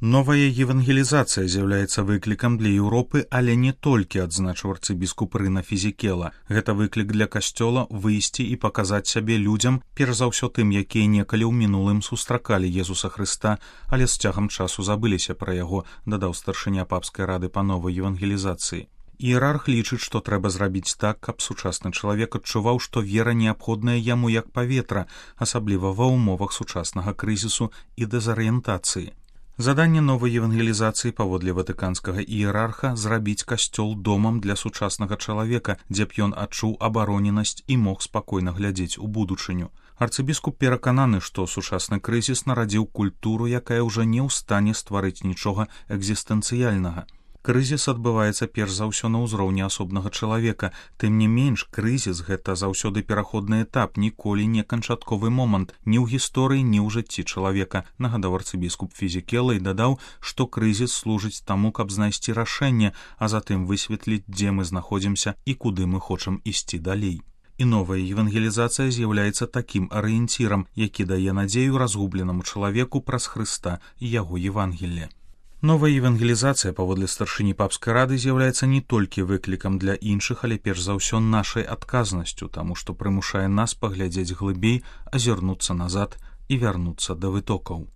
Новая евангелізацыя з'яўляецца выклікам для Еўропы, але не толькі, адзначыў арцыбіскуп Рына Фізікела. Гэта выклік для касцёла выйсці і паказаць сябе людзям, перш за ўсё тым, якія некалі ў мінулым сустракалі Езуса Хрыста, але з цягам часу забыліся пра яго, дадаў старшыня папскай рады па новай евангелізацыі. Іерарх лічыць, што трэба зрабіць так, каб сучасны чалавек адчуваў, што вера неабходная яму як паветра, асабліва ва ўмовах сучаснага крызісу і дэзарыентацыі. Заданне новай евангелізацыі паводле ватыканскага іерарха зрабіць касцёл домам для сучаснага чалавека, дзе б ён адчуў абароненасць і мог спакойна глядзець у будучыню. Арцыбіскуп перакананы, што сучасны крызіс нарадзіў культуру, якая ўжо не ў стане стварыць нічога экзістэнцыяльнага. Крызіс адбываецца перш за ўсё на ўзроўні асобнага чалавека. Тым не менш, крызіс — гэта заўсёды пераходны этап, ніколі не канчатковы момант ні ў гісторыі, ні ў жыцці чалавека, нагадаў арцыбіскуп Фізікела і дадаў, што крызіс служыць таму, каб знайсці рашэнне, а затым высветліць, дзе мы знаходзімся і куды мы хочам ісці далей. І новая евангелізацыя з'яўляецца такім арыенцірам, які дае надзею разгубленаму чалавеку праз Хрыста і яго Евангелле. Новая евангелізацыя паводле старшыні папскай рады з'яўляецца не толькі выклікам для іншых, але перш за ўсё нашай адказнасцю, таму што прымушае нас паглядзець глыбей, азірнуцца назад і вярнуцца да вытокаў.